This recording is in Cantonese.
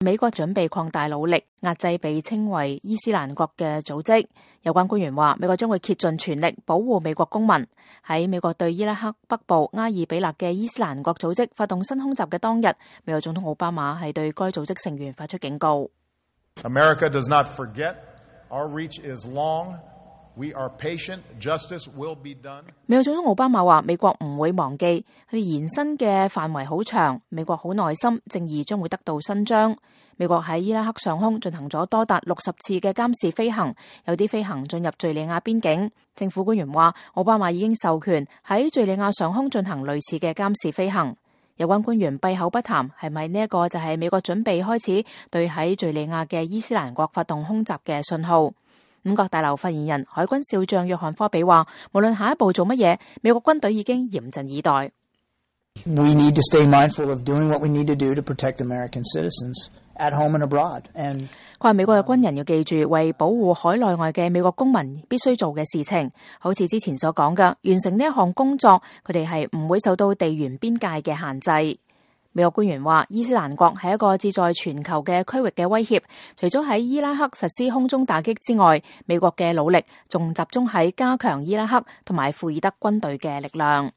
美國準備擴大努力壓制被稱為伊斯蘭國嘅組織。有關官員話，美國將會竭盡全力保護美國公民。喺美國對伊拉克北部阿爾比勒嘅伊斯蘭國組織發動新空襲嘅當日，美國總統奧巴馬係對該組織成員發出警告。America does not forget. Our reach is long. We are patient. Justice will be done. 美國總統奧巴馬話：美國唔會忘記，佢哋延伸嘅範圍好長，美國好耐心，正義將會得到伸張。美國喺伊拉克上空進行咗多達60次嘅監視飛行，有啲飛行進入敘利亞邊境。政府官員話，奧巴馬已經授權喺敘利亞上空進行類似嘅監視飛行。有關官員閉口不談，係咪呢一個就係美國準備開始對喺敘利亞嘅伊斯蘭國發動空襲嘅信號？五角大樓發言人海軍少將約翰科比話，無論下一步做乜嘢，美國軍隊已經嚴陣以待。We need to stay mindful of doing what we need to do to protect American citizens at home and abroad. And 佢話美國嘅軍人要記住，為保護海內外嘅美國公民必須做嘅事情，好似之前所講嘅，完成呢一項工作，佢哋係唔會受到地緣邊界嘅限制。美國官員話，伊斯蘭國係一個志在全球嘅區域嘅威脅，除咗喺伊拉克實施空中打擊之外，美國嘅努力仲集中喺加強伊拉克同埋庫爾德軍隊嘅力量。